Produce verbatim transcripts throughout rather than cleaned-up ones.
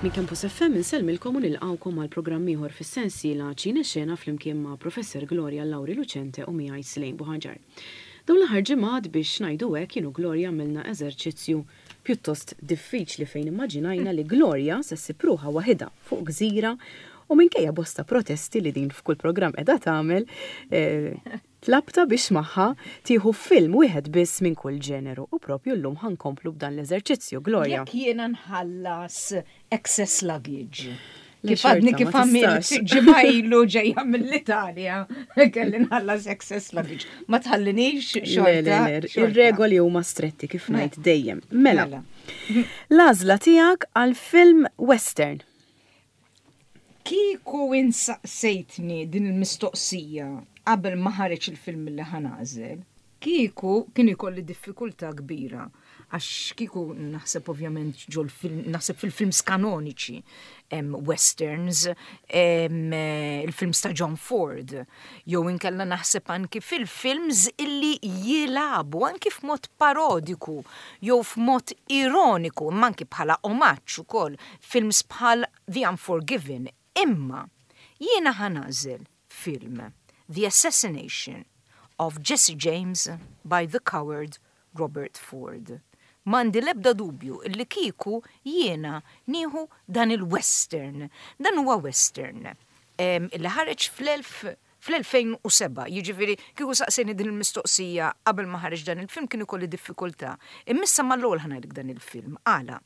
Minn Campus F M insellmilkom u nilqgħukom għal programm ieħor fis-sensiela Ċine Xena flimkien ma' Professor Gloria Lauri Lucente u miegħi Slejn Buħaġar. Dawn l-aħħar ġimgħat, biex ngħidu hekk, jien u Gloria għamilna eżerċizzju pjuttost diffiċli fejn immaġinajna li Gloria se ssib ruħha waħidha fuq gżira u minkejja bosta protesti li din f'kull programm qiegħda tagħmel, eh, tlabtha biex magħha tieħu film wieħed biss minn kull ġeneru u propju llum ħa nkomplu b'dan l-eżerċizzju, Gloria. Jekk jiena nħallas excess luggage. Le, Kif għadni xorta, kif ma għamilt tistax. ġimgħa ilu ġejja mill-Italja, kelli nħallas excess luggage. Ma tħallinix Le, xorta. le, le, Xorta. ir-regoli huma stretti kif ngħid dejjem. Mela, Mela. l-għażla tiegħek għal film western. Kieku insaqsejtni din il-mistoqsija qabel ma ħareġ il-film li ħa nagħżel, kieku kien ikolli diffikultà kbira. Għax kieku naħseb ovvjament ġol film, naħseb fil-films kanoniċi, em, westerns, em, eh, il-films ta' John Ford, jew inkella naħseb anki fil-films illi jilagħbu anki f'mod parodiku, jew f'mod ironiku, imma anki bħala omaġġ ukoll, films bħal The Unforgiven. Imma jiena ħa nagħżel film The Assassination of Jesse James by the Coward Robert Ford. M'għandi lebda dubju illi kieku jiena nieħu dan il-western. Dan huwa western em, illi ħareġ fl-elf fl-elfejn u sebgħa, jiġifieri kieku saqsejtni din il-mistoqsija qabel ma ħareġ dan il-film kien ikolli diffikultà. Imma issa mal-ewwel ħa ngħidlek dan il-film. Għala?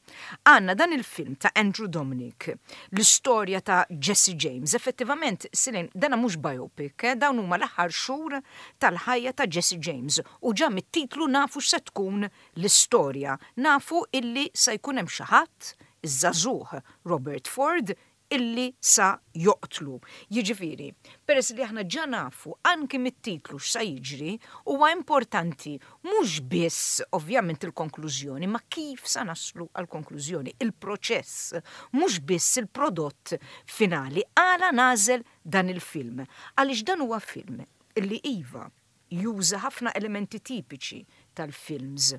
Għandna dan il-film ta' Andrew Dominik, l-istorja ta' Jesse James. Effettivament, Silin, dana mhux biopic, eh, dawn huma l-aħħar xhur tal-ħajja ta' Jesse James. U ġa mit-titlu nafu x'se tkun l-istorja. Nafu illi se jkun hemm xi ħadd, iż-żagħżugħ Robert Ford, illi sa joqtlu. Jiġifieri, peress li aħna ġa nafu anki mit-titlu x'sa jiġri, huwa importanti mhux biss ovvjament il-konklużjoni, ma kif sa naslu għal-konklużjoni, il-proċess, mhux biss il-prodott finali. Għala nagħżel dan il-film? Għaliex dan huwa film illi iva juża ħafna elementi tipiċi tal-films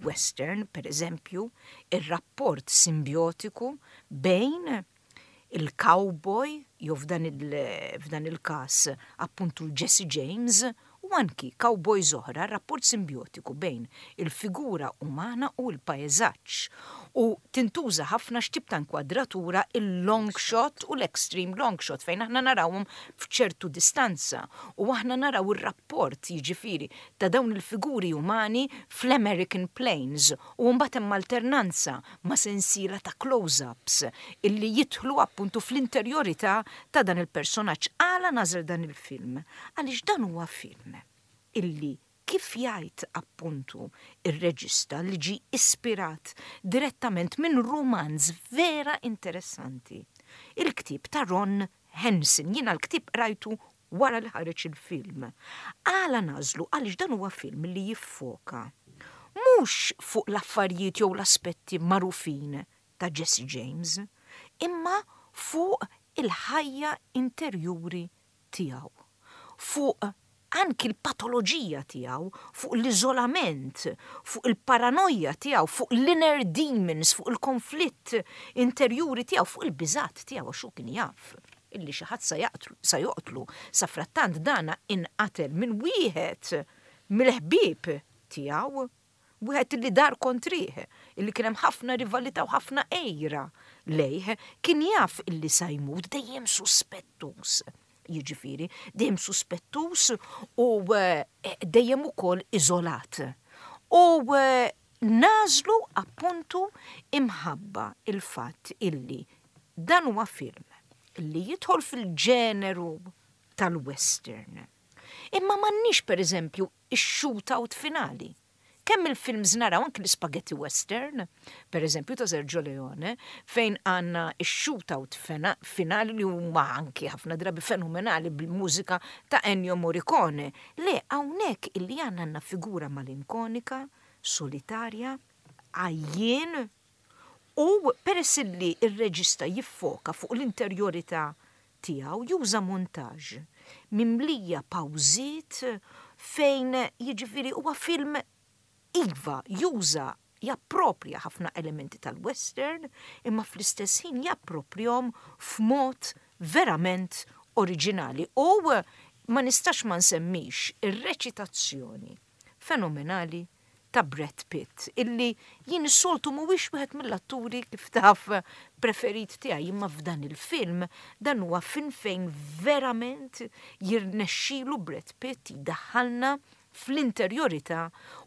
western, per eżempju, il-rapport simbiotiku bejn il-cowboy, jew f'dan il- f'dan il-kas appuntu Jesse James, u anki cowboys oħra, rapport simbiotiku bejn il-figura umana u l-pajzaġġ. U tintuża ħafna x'tip ta' inkwadratura, il-long shot u l-extreme long shot, fejn aħna narawhom f'ċertu distanza u aħna naraw ir-rapport, jiġifieri, ta' dawn il-figuri umani fl-American Plains u mbagħad hemm alternanza ma' sensiela ta' close-ups illi jidħlu appuntu fl-interjorità ta' dan il-personaġġ. Għala nagħżel dan il-film? Għaliex dan huwa film illi, kif jgħid appuntu ir-reġista, li ġi ispirat direttament minn romanz vera interessanti. Il-ktib ta' Ron Hansen, jiena l-ktib rajtu wara li ħareġ il-film. Għala nagħżlu? Għaliex dan huwa film li jiffoka mhux fuq l-affarijiet jew l-aspetti magħrufin ta' Jesse James, imma fuq il-ħajja interjuri tiegħu, fuq anki l-patoloġija tiegħu, fuq l-iżolament, fuq il-paranoja tiegħu, fuq l-inner demons, fuq il-konflitt interjuri tiegħu, fuq il-biżat tiegħu, għax hu kien jaf illi xi ħadd sa jaqtlu, sa joqtlu. Sa frattant dana inqatel minn wieħed mill-ħbieb tiegħu, wieħed illi dar kontrih, illi kien hemm ħafna rivalità u ħafna għira lejh, kien jaf illi sa jmut dejjem suspettus. Jiġifieri, dejjem suspettus u eh, dejjem ukoll iżolat. U eh, nagħżlu appuntu imħabba il-fatt illi dan huwa film illi jidħol fil-ġeneru tal-western. Imma m'għandniex, per eżempju, ix-shootout finali. Kemm il-films naraw, anki l-spaghetti western, per eżempju ta' Sergio Leone, fejn għandna ix-shootout fena- finali li huma anki ħafna drabi fenomenali bil-mużika ta' Ennio Morricone. Le, hawnhekk illi għandna għandna figura malinkonika, solitarja, għajjien, u peress li il-reġista jiffoka fuq l-interjorità tiegħu, juża montaġġ mimlija pawżiet fejn, jiġifieri, huwa film iva juża Jappropja ħafna elementi tal-western, imma fl-istess ħin japproprjahom f'mod verament oriġinali. U ma nistax ma nsemmix ir-reċitazzjoni fenomenali ta' Brad Pitt, illi jien is-soltu mhuwiex wieħed mill-atturi, kif taf, preferit tiegħi, imma f'dan il-film, dan huwa film fejn verament jirnexxilu Brad Pitt jdaħħalna fl-interjorità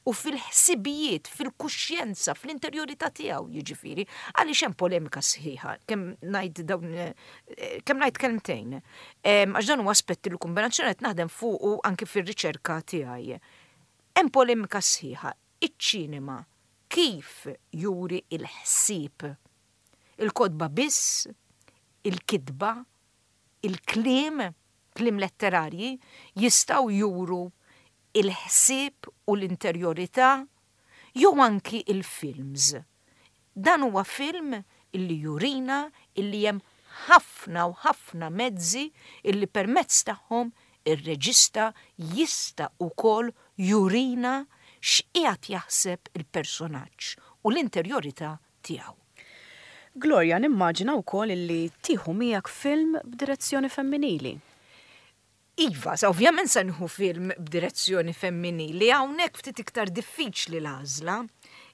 u fil-ħsibijiet, fil-kuxjenza, fl-interjorità tiegħu jiġifieri, għaliex hemm polemika sħiħa, kemm ngħid dawn eh, kemm ngħid kelmtejn. Għax dan huwa aspetti li kombinazzjoni qed naħdem fuqu anke fir-riċerka tiegħi. Hemm polemika sħiħa: iċ-ċinema kif juri il-ħsieb? Il-kotba biss, il-kitba, il-kliem, kliem letterarji, jistgħu juru il-ħsieb u l-interjorità jew anki il-films? Dan huwa film illi jurina illi hemm ħafna u ħafna mezzi illi permezz tagħhom ir-reġista jista' ukoll jurina x'qiegħed jaħseb il-personaġġ u l-interjorità tiegħu. Gloria, nimmaġina wkoll illi tieħu miegħek film b'direzzjoni femminili. Iva, sa ovvjament sa nieħu film b'direzzjoni femminili, hawnhekk ftit iktar diffiċli l-għażla.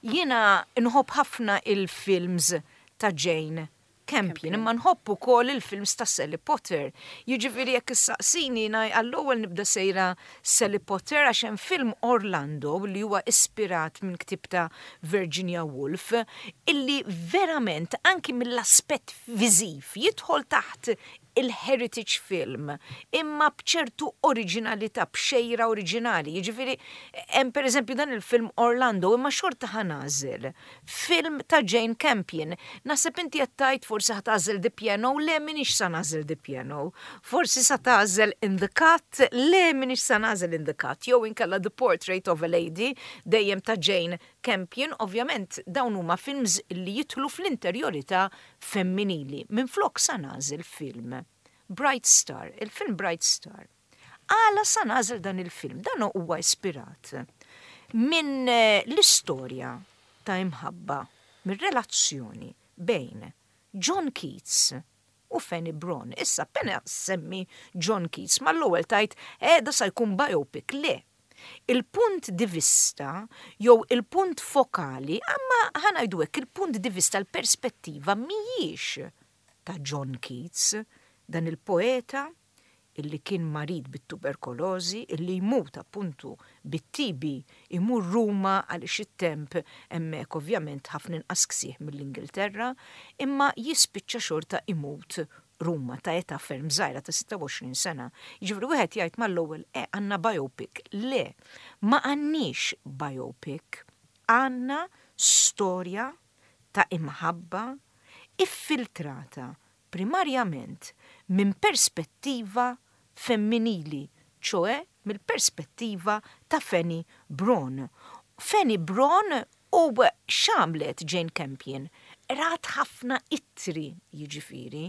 Jiena nħobb ħafna il-films ta' Jane Campion, imma nħobb ukoll il-films ta' Sally Potter. Jiġifieri jekk issaqsini, għall-ewwel nibda sejra Sally Potter, għax hemm film Orlando li huwa ispirat minn ktib ta' Virginia Woolf illi verament anki mill-aspett viżiv jidħol taħt il-heritage film, imma bċertu oriġinalità, b'xejra oriġinali. Jiġifieri, hemm per eżempju dan il-film Orlando, imma xorta ħa nagħżel film ta' Jane Campion. Naħseb inti qed forsi ħa tagħżel The Piano, le, m'iniex sa nagħżel The Piano. Forsi sa tagħżel In the Cut, le, m'iniex sa nagħżel In the Cut, jew inkella The Portrait of a Lady, dejjem ta' Jane Campion. Ovvjament dawn huma films li jidħlu fl-interjorità femminili. Minn flok sa nagħżel film Bright Star, il-film Bright Star. Għala sa nagħżel dan il-film? Dan huwa ispirat minn eh, l-istorja ta' imħabba, minn relazzjoni bejn John Keats u Fanny Brawne. Issa, appena nsemmi John Keats, ma l-ewwel tgħid, eh, da sa jkun biopic. Le. Il-punt di vista, jew il-punt fokali, imma ħa ngħidu hekk, il-punt di vista, l-perspettiva mhijiex ta' John Keats, dan il-poeta illi kien marid bit-tuberkolozi, illi jmut appuntu bit-T B, imur Ruma għaliex it-temp hemmhekk ovvjament ħafna inqas ksieħ mill-Ingilterra, imma jispiċċa xorta imut Ruma ta' età ferm żgħira ta' sitta u għoxrin sena. Jiġifieri wieħed jgħid mal-ewwel, e għandna biopic. Le, ma għandniex biopic. Għandna storja ta' imħabba iffiltrata primarjament minn perspettiva femminili, ċoè mill-perspettiva ta' Fanny Brawne. Fanny Brawne, u x'għamlet Jane Campion? Rat ħafna ittri, jiġifieri,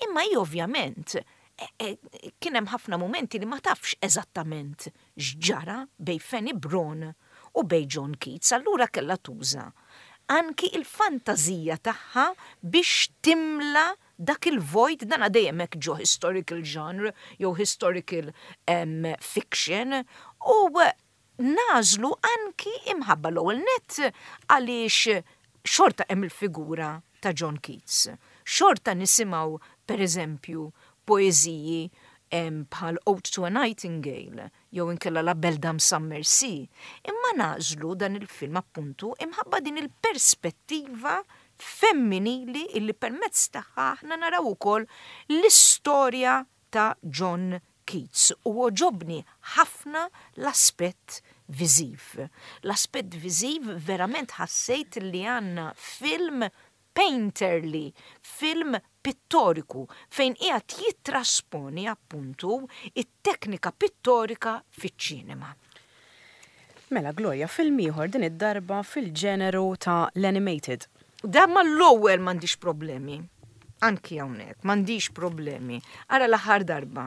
imma hi ovvjament e, e, kien hemm ħafna momenti li ma tafx eżattament x'ġara bejn Fanny Brawne u bejn John Keats, allura kella tuża anki il-fantazija tagħha biex timla dak il-vojt. Dan dejjem hekk ġo historical genre jew historical um, fiction, u nagħżlu anki imħabba l-ewwel net għaliex xorta hemm il-figura ta' John Keats. Xorta nisimgħu, per eżempju, poeżiji bħal Ode to a Nightingale jew inkella La Belle Dame sans Merci. Imma nagħżlu dan il-film appuntu imħabba din il-perspettiva femminili illi permezz tagħha aħna naraw ukoll l-istorja ta' John Keats, u għoġobni ħafna l-aspett viżiv. L-aspett viżiv, verament ħassejt li għandna film painterly, film pittoriku, fejn qiegħed jittrasponi appuntu it-teknika pittorika fiċ-ċinema. Mela Gloria, film ieħor, din id-darba fil-ġeneru ta' l-animated. Dan mal-ewwel m'għandix problemi. Anki hawnhekk m'għandix problemi. Ara, l-aħħar darba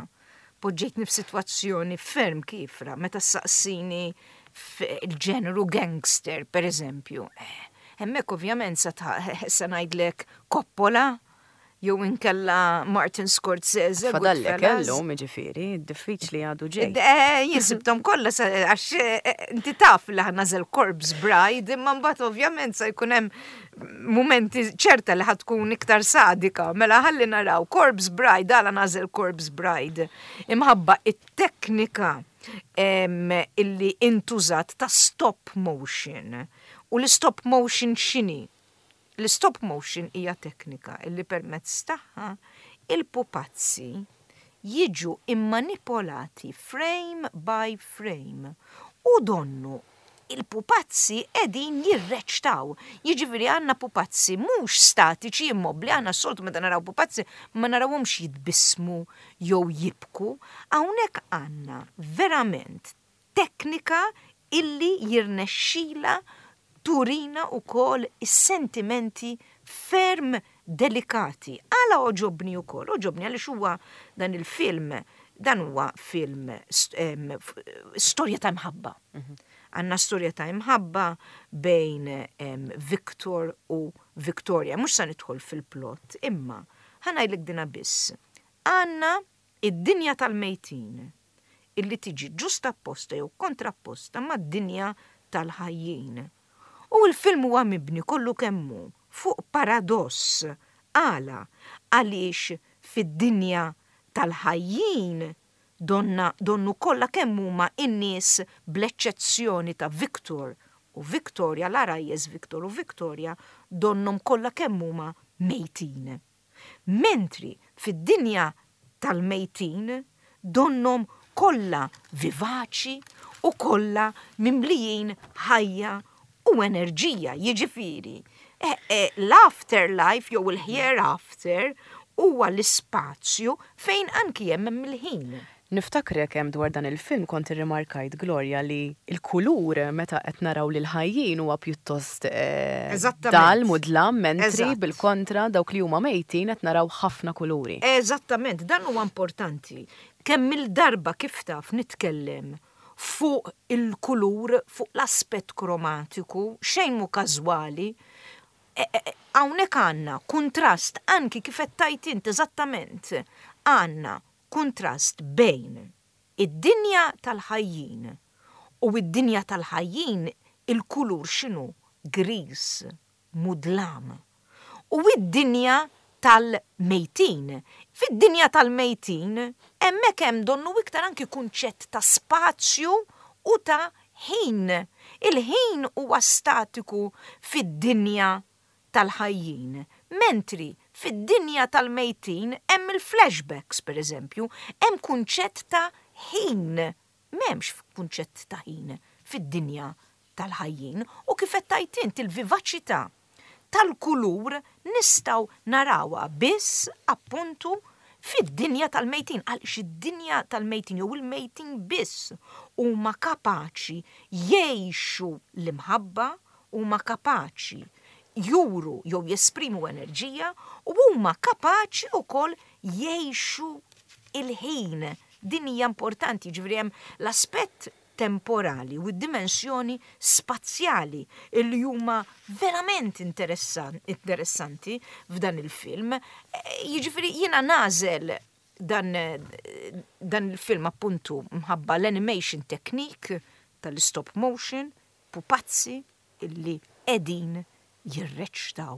poġġejtni f'sitwazzjoni ferm kiefra meta saqsini il-ġeneru gangster, per eżempju. Eh, Hemmhekk ovvjament sa sa ngħidlek Coppola, jew inkella Martin Scorsese. Fadallek kellhom, jiġifieri, diffiċli għadu ġej. Eh, jien sibthom kollha, għax eh, inti taf li ħa nagħżel Corpse Bride, imma mbagħad ovvjament sa jkun hemm momenti ċerta li ħa tkun iktar sadika. Mela ħalli naraw Corpse Bride, għala nagħżel Corpse Bride? Imħabba it-teknika illi intużat ta' stop motion. U l-stop motion x'inhi? L-stop motion hija teknika illi permezz tagħha il-pupazzi jiġu immanipolati frame by frame u donnu il-pupazzi qegħdin jirreċtaw. Jiġifieri għandna pupazzi mhux statiċi, immobli. Għandna s-soltu meta naraw pupazzi ma narawhomx jitbissmu jew jibku. Hawnhekk għandna verament teknika illi jirnexxila turina ukoll is-sentimenti ferm delikati. Għala għoġobni ukoll? Għoġobni għaliex huwa dan il-film, dan huwa film storja ta' mħabba. Mhm. Għandna storja ta' imħabba bejn Victor u Victoria. Mhux sa nidħol fil-plot, imma ħa ngħidlek dina biss. Għandna id-dinja tal-mejtin illi tiġi ġusta apposta jew kontrapposta mad-dinja tal-ħajjin. U l-film huwa mibni kollu kemm hu fuq paradoss. Għala? Għaliex fid-dinja tal-ħajjin donna donnu kollha kemm huma in-nies, bl-eċċezzjoni ta' Victor u Victoria, l-għarajjes Victor u Victoria, donnhom kollha kemm huma mejtin. Mentri fid-dinja tal-mejtin donnom kollha vivaċi u kollha mimlijin ħajja u enerġija. Jiġifieri, e, e, l-afterlife jew il-hereafter huwa l-ispazju fejn anki hemm il-ħin. Niftakrek hemm dwar dan il-film kont irrimarkajt, Gloria, li il-kulur meta qed naraw lil ħajjin huwa pjuttost eh, dal mudlam, mentri bil-kontra dawk li huma mejtin qed naraw ħafna kuluri. Eżattament, dan huwa importanti. Kemm il-darba, kif taf, nitkellem fuq il-kulur, fuq l-aspett kromatiku, xejn mu każwali. E, e, e, hawnhekk għandna kuntrast anki kif qed tgħid int eżattament. Għandna kuntrast bejn id-dinja tal-ħajjin, u id-dinja tal-ħajjin il-kulur x'inhu? Gris, mudlam. U id-dinja tal-mejtin. Fid-dinja tal-mejtin, hemmhekk hemm donnu iktar anki kunċett ta' spazju u ta' ħin. Il-ħin huwa statiku fid-dinja tal-ħajjin. Mentri fid-dinja tal-mejtin hemm il-flashbacks, per eżempju, hemm kunċett ta' ħin. M'hemmx kunċett ta' ħin fid-dinja tal-ħajjin u, kif qed tgħid int, il-vivaċità tal-kulur nistgħu narawha biss appuntu fid-dinja tal-mejtin, għaliex id-dinja tal-mejtin jew il-mejtin biss huma kapaċi jgħixu l-imħabba, huma kapaċi juru jew jesprimu enerġija u huma kapaċi wkoll jgħixu il-ħin. Din hija importanti, ġifieri hemm l-aspett temporali u d-dimensjoni spazjali illi huma verament interessanti f'dan il-film. E, jiġifieri jiena nagħżel dan, dan il-film appuntu mħabba l-animation technique tal-stop motion, pupazzi illi qegħdin jirreċtaw,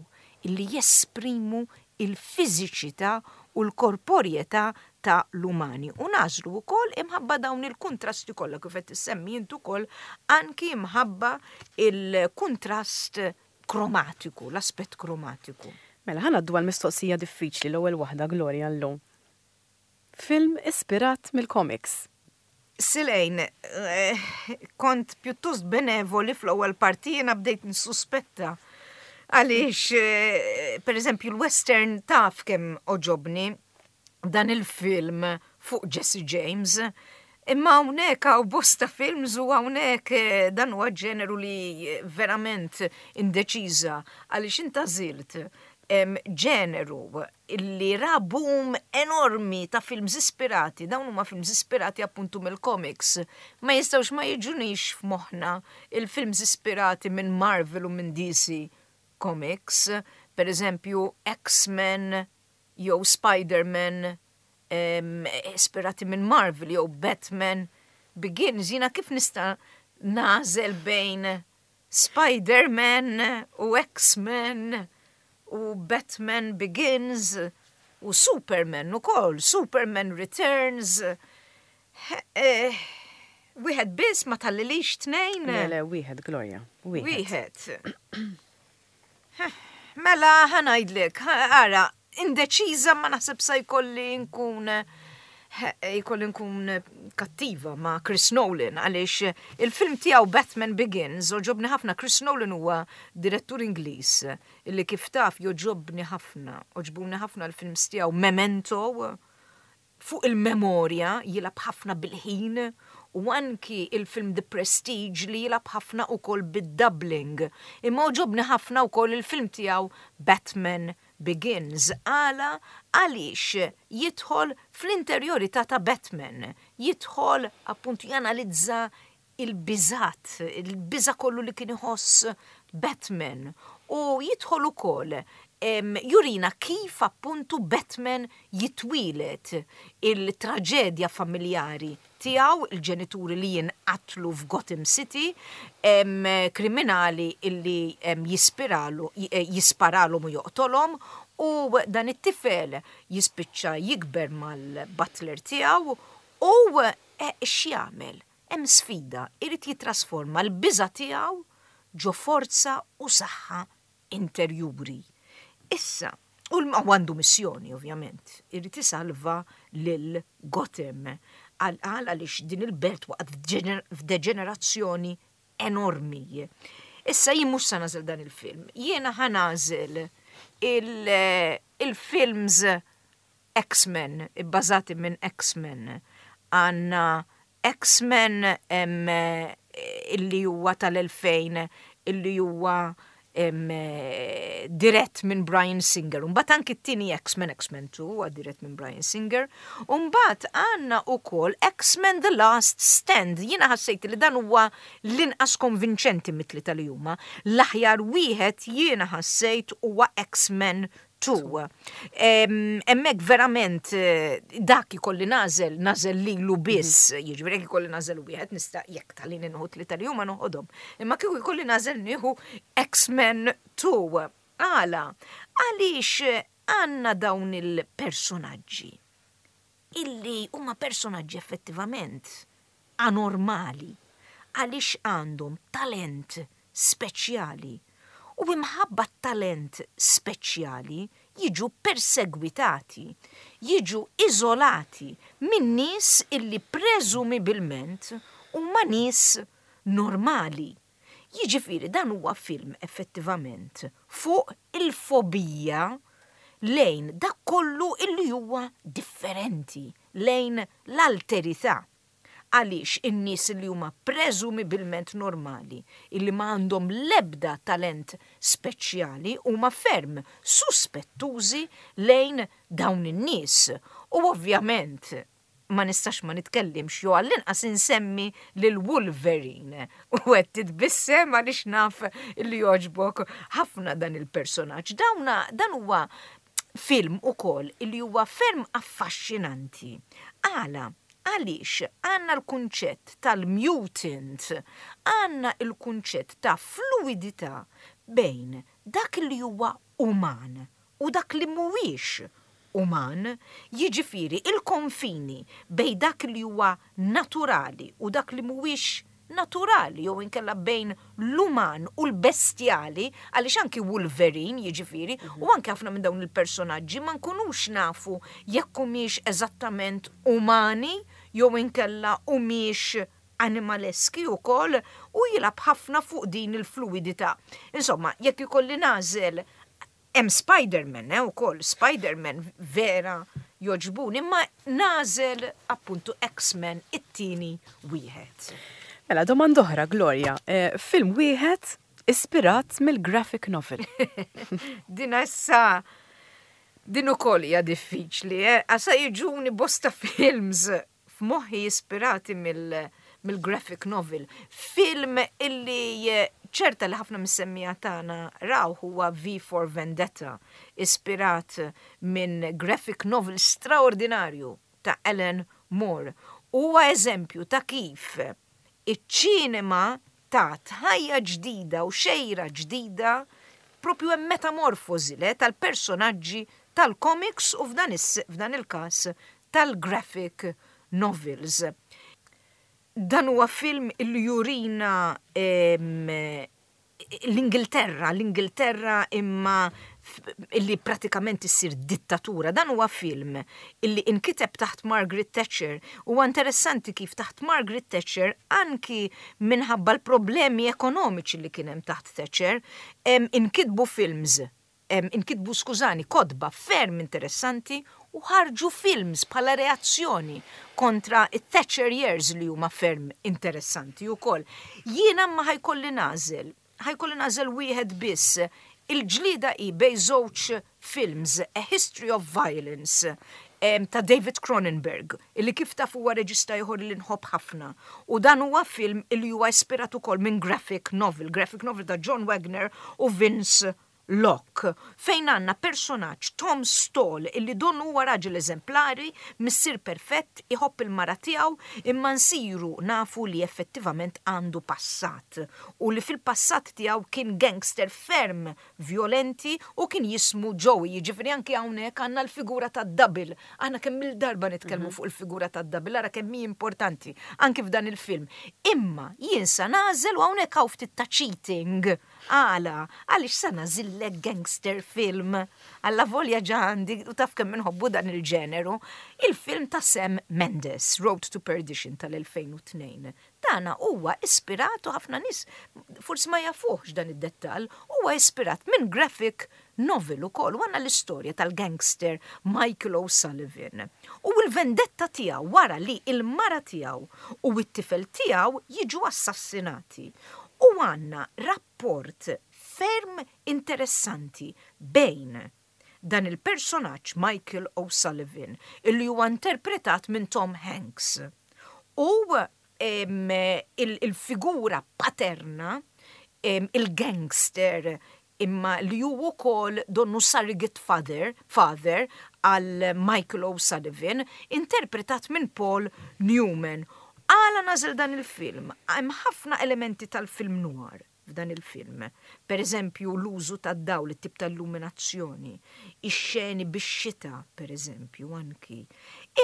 illi jesprimu il-fiżiċità u l-korporjetà ta' l-umani. U nagħżlu wkoll imħabba dawn il-kontrasti kollha kif qed issemmi int ukoll, anki imħabba il-kontrast kromatiku, l-aspett kromatiku. Mela ħa ngħaddu għal mistoqsija diffiċli, l-ewwel waħda, Gloria, llum. Film ispirat mill-comics. Silejn, eh, kont pjuttost benevoli fl-ewwel parti, jiena bdejt nissuspetta. Għaliex, eh, per eżempju, l-western, taf kemm għoġobni dan il-film fuq Jesse James. Imma hawnhekk hawn bosta films u hawnhekk eh, dan huwa ġeneru li verament indeċiża, għaliex inta għażilt ġeneru illi ra boom enormi ta' films ispirati, dawn huma films ispirati appuntu mill-comics. Ma jistgħux ma jiġunix f'moħħna il-films ispirati minn Marvel u minn D C. Comics, per eżempju X-Men jew Spider-Man ispirati minn Marvel jew Batman Begins, jiena kif nista' nagħżel bejn Spider-Man u X-Men u Batman Begins u Superman ukoll, Superman Returns? Eh, wieħed biss, ma tħallilix tnejn? Le, le, wieħed, Gloria. Wieħed. Mela, ħa ngħidlek, ara, indeċiża, ma naħseb sa jkolli nkun jkolli nkun kattiva ma' Chris Nolan, għaliex il-film tiegħu Batman Begins għoġobni ħafna. Chris Nolan huwa direttur Ingliż illi, kif taf, jogħġobni ħafna, għoġbuni ħafna l-films tiegħu. Memento, fuq il-memorja, jilgħab ħafna bil-ħin, u anki il-film The Prestige li jilgħab ħafna ukoll bid-doubling. Imma għoġobni ħafna ukoll il-film tiegħu Batman Begins. Għala? Għaliex jidħol fl-interjorità ta' Batman, jidħol appuntu janalizza il-biżat, il-biża kollu li kien iħoss Batman, u jidħol ukoll jurina kif appuntu Batman jitwilet, il-traġedja familjari tiegħu, il-ġenituri li jinqatlu f'Gotham City, em, kriminali illi em, jispiralu, eh, jisparalhom u joqtolhom, u dan it-tifel jispiċċa jikber mal-butler tiegħu u eh, x'jagħmel? Hemm sfida, irid jitrasforma l-biża tiegħu ġo forza u saħħa interjuri. Issa, u għandu missjoni, ovvjament, irid isalva lil Gotham għal għaliex din il-belt waqgħet f'deġenerazzjoni enormi. Issa jien mhux sa nagħżel dan il-film, jiena ħa nagħżel il-films X-Men, bbażati minn X-Men. Għandna X-Men illi huwa tal-elfejn, illi huwa dirett minn Bryan Singer. Mbagħad anki t-tieni X-Men, X-Men two, huwa dirett minn Bryan Singer. Mbagħad għandna ukoll X-Men The Last Stand. Jiena ħassejt li dan huwa l-inqas konvinċenti mit-tlieta li huma. L-aħjar wieħed jiena ħassejt huwa X-Men two. Hemmhekk verament eh, dak ikolli nagħżel, nagħżel lilu biss, mhm. jiġifieri jekk ikolli nagħżel wieħed nista', jekk tħallini nieħu tlieta li huma noħodhom. Imma kieku jkolli nagħżel, nieħu X-Men two. Għala? Għaliex għandna dawn il-personaġġi illi huma personaġġi effettivament anormali, għaliex għandhom talent speċjali u imħabba talent speċjali jiġu persegwitati, jiġu izolati minn nies illi preżumibilment huma nies normali. Jiġifieri dan huwa film effettivament fuq il-fobija lejn dak kollu illi huwa differenti, lejn l-alterità, għaliex in-nies li huma preżumibilment normali, illi ma għandhom lebda talent speċjali, huma ferm suspettużi lejn dawn in-nies. U ovvjament ma nistax ma nitkellimx jew għall-inqas insemmi lil Wolverine. U qed titbissem għaliex naf li jogħġbok ħafna dan il-personaġġ. Dawna dan huwa film ukoll illi huwa ferm affaxxinanti. Għala? Għaliex għandna l-kunċett tal-mutant, għandna il-kunċett ta' fluidità bejn dak li huwa uman u dak li mhuwiex uman, jiġifieri il-konfini bejn dak li huwa naturali u dak li mhuwiex naturali, jew inkella bejn l-uman u l-bestjali, għaliex anki Wolverine, jiġifieri, u anki ħafna minn dawn il-personaġġi ma nkunux nafu jekk humiex eżattament umani jew inkella humiex animaleski ukoll, u jilgħab ħafna fuq din il-fluidità. Insomma, jekk ikolli nagħżel, hemm Spider-Man, eh, ukoll, Spider-Man vera jogħġbuni, imma nagħżel appuntu X-Men, it-tieni wieħed. Mela, domanda oħra, Gloria. Eh, film wieħed ispirat mill-graphic novel. Din issa, din ukoll hija diffiċli, eh? Għasa jiġuni bosta films f'moħħi ispirati mill- mill-graphic novel. Film illi Ċerta li ħafna mis-semmiegħa tagħna raw huwa V for Vendetta, ispirat minn graphic novel straordinarju ta' Alan Moore. Huwa eżempju ta' kif iċ-ċinema tat ħajja ġdida u xejra ġdida, propju hemm metamorfosi le tal-personaġġi tal-comics u f'dan il-każ tal-graphic novels. Dan huwa film illi jurina l-Ingilterra, l-Ingilterra imma illi pratikament issir dittatura. Dan huwa film illi inkiteb taħt Margaret Thatcher. Huwa interessanti kif taħt Margaret Thatcher, anki minħabba l-problemi ekonomiċi li kien hemm taħt Thatcher, inkitbu films, inkitbu, skużani, kotba ferm interessanti u ħarġu films bħala reazzjoni kontra it-Thatcher years li huma ferm interessanti wkoll. Jiena ma ħa jkolli nagħżel, ħa jkolli nagħżel wieħed biss. Il-ġlida hi bejn żewġ films, A History of Violence ta' David Cronenberg, illi kif taf huwa reġista ieħor li nħobb ħafna. U dan huwa film illi huwa ispirat ukoll minn graphic novel, graphic novel ta' John Wagner u Vince Locke, fejn għandna personaġġ Tom Stall illi donnu huwa raġel eżemplari, missier perfett, iħobb il-mara tiegħu, imma nsiru nafu li effettivament għandu passat u li fil-passat tiegħu kien gangster ferm violenti u kien jismu Joey. Jiġifieri anki hawnhekk għandna l-figura ta' double. Aħna kemm il-darba nitkellmu mhm. fuq il-figura ta' double, ara kemm hi importanti anki f'dan il-film. Imma jien sa nagħżel, u hawnhekk hawn ftit ta' cheating. Għala, għaliex sa nagħżillek gangster film? Alla volja ġa għandi u taf kemm inħobbu dan il-ġeneru, il-film ta' Sam Mendes, Road to Perdition tal-elfejn u tnejn. Dana huwa ispirat, u ħafna nies forsi ma jafuħx dan id-dettal, huwa ispirat minn graphic novel ukoll, u għandna l-istorja tal-gangster Michael O'Sullivan. U l-vendetta tiegħu wara li il-mara tiegħu u t-tifel tiegħu jiġu assassinati. U għandna rapport ferm interessanti bejn dan il-personaġġ Michael O'Sullivan, illi huwa interpretat minn Tom Hanks, u il-figura paterna, il-gangster, imma li hu wkoll donnu surrogate father, father għal Michael O'Sullivan, interpretat minn Paul Newman. Għala nagħżel dan il-film? Hemm ħafna elementi tal-film noir f'dan il-film. Per eżempju, l-użu tad-dawl, it-tip tal-illuminazzjoni, ix-xeni bix-xita, per eżempju, anki.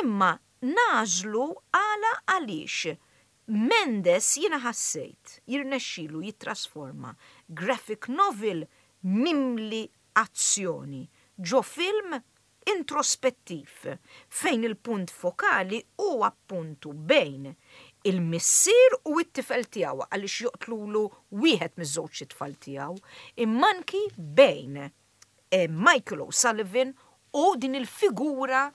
Imma nagħżlu għala? Għaliex Mendes jiena ħassejt jirnexxilu jittrasforma graphic novel mimli azzjoni ġo film introspettiv fejn il-punt fokali u appuntu bejn il-missier u it-tifel tiegħu, għaliex joqtlulu wieħed miż-żewġ tfal tiegħu, imma anki bejn eh, Michael O'Sullivan u din il-figura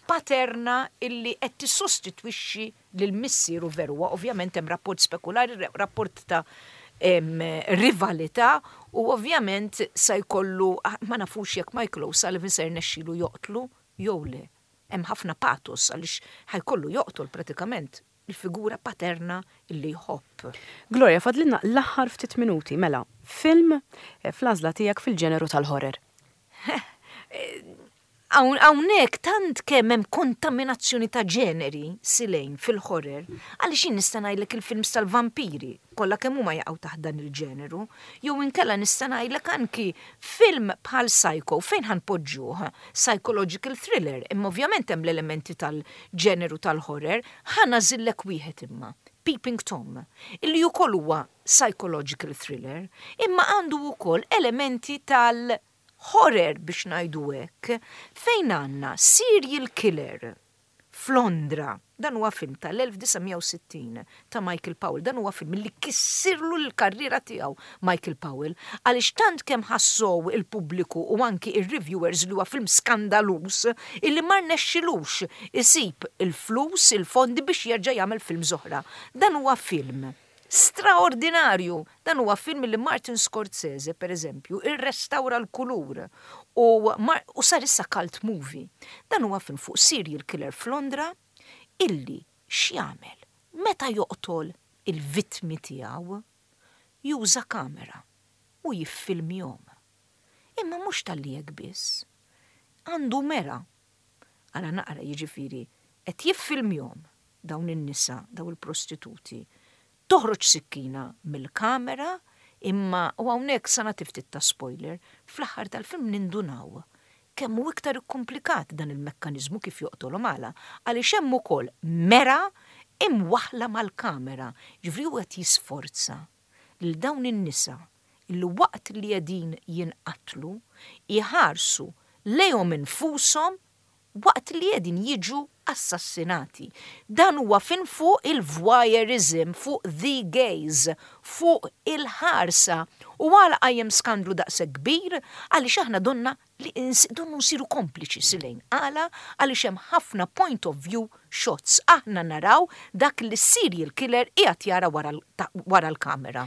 paterna illi qed tissostitwixxi lil missieru veru. Ovvjament hemm rapport spekulari, rapport ta' em, rivalità u ovvjament sa jkollu, ma nafux jekk Michael O'Sullivan se jirnexxilu joqtlu jew le. Hemm ħafna patos għaliex ħa jkollu joqtol pratikament il-figura paterna illi jħobb. Gloria, fadlilna l-aħħar ftit minuti, mela, film eh, fl-għażla tiegħek fil-ġeneru tal-horror. Hawnhekk tant kemm hemm kontaminazzjoni ta' ġeneri silejn fil-horror, għaliex jien nista' ngħidlek il-films tal-vampiri, kollha kemm huma jaqgħu taħt dan il-ġeneru, jew inkella nista' ngħidlek anki film bħal Psycho, fejn ħa npoġġuh? Psychological thriller, imma ovvjament hemm l-elementi tal-ġeneru tal-horror. Ħa nagħżillek wieħed imma, Peeping Tom, illi wkoll huwa psychological thriller, imma għandu wkoll elementi tal- horror biex ngħidu hekk, fejn għandna serial killer f'Londra. Dan huwa film tal-elf disa' mija u sittin ta' Michael Powell. Dan huwa film li kissirlu l-karriera tiegħu Michael Powell, għaliex tant kemm ħassow il-pubbliku u anki ir-reviewers li huwa film skandaluż illi ma rnexxilux isib il-flus, il-fondi biex jerġa' jagħmel film oħra. Dan huwa film straordinarju. Dan huwa film li Martin Scorsese, per eżempju, irrestawra l-kulur u, u sar issa cult movie. Dan huwa film fuq serial killer f'Londra illi x'jagħmel meta joqtol il-vittmi tiegħu? Juża kamera u jiffilmjahom. Imma mhux talli hekk biss. Għandu mera. Ara naqra, jiġifieri qed jiffilmjahom dawn in-nisa, dawn il-prostituti. Toħroġ sikkina mill-kamera, imma, u hawnhekk sa nagħti ftit ta' spoiler, fl-aħħar tal-film nindunaw kemm hu iktar komplikat dan il-mekkanizmu kif joqtolhom. Għala? Għaliex hemm ukoll mera imwaħla mal-kamera. Ġifieri hu qed jisforza lil dawn in-nisa illi waqt li qegħdin jinqatlu iħarsu lejhom infushom waqt li qegħdin jiġu assassinati. Dan huwa fin fuq il-voyeurism, fuq the gaze, fuq il-ħarsa. U għala qajjem skandlu daqshekk kbir? Għaliex aħna donna li donnu nsiru kompliċi silejn. Għala? Għaliex hemm ħafna point of view shots. Aħna naraw dak li serial killer qiegħed jara wara l-kamera.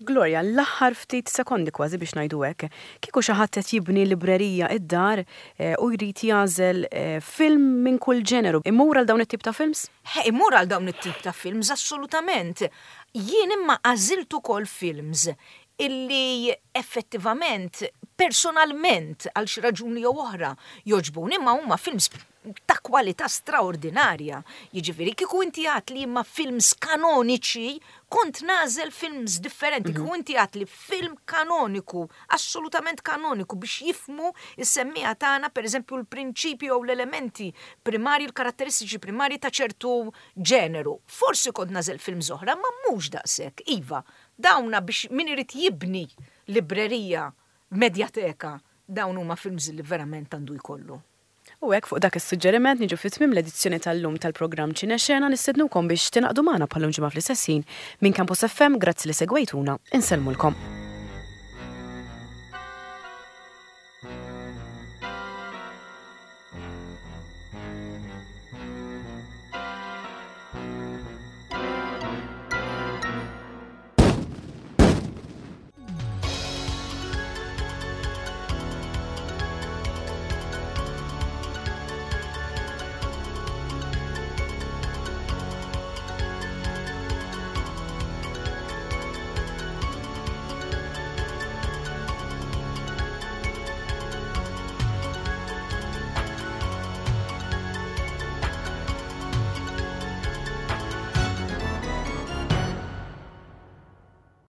Gloria, l-aħħar ftit sekondi kważi biex ngħidu hekk, kieku xi ħadd qed jibni librerija id-dar eh, u jrid jagħżel eh, film minn kull ġeneru, imur għal dawn it-tip ta' films? He, imur għal dawn it-tip ta' films, assolutament. Jien imma għażilt ukoll films illi effettivament, personalment, għal xi raġuni jew oħra, jogħġbuni, imma huma films ta' kwalità straordinarja. Jiġifieri kieku inti għedt li imma films kanoniċi, kont nagħżel films differenti. Mm -hmm. Kieku inti għedt li film kanoniku, assolutament kanoniku, biex jifhmu is-semmiegħa tagħna, per eżempju, l-prinċipju u l-elementi primari, l-karatteristiċi primari ta' ċertu ġeneru. Forsi kont nagħżel films oħra, ma mhux daqshekk. Iva, dawna biex min irid jibni librerija, medjateka, dawn huma films li verament għandu jkollu. U hekk, fuq dak is-suġġeriment, niġu fi tmiem l-edizzjoni tal-lum tal-programm Ċinexena. Nistednukom biex tingħaqdu magħna bħal ġimgħa fl-istess ħin. Minn Campus F M, grazzi li segwejtuna, insellmulkom.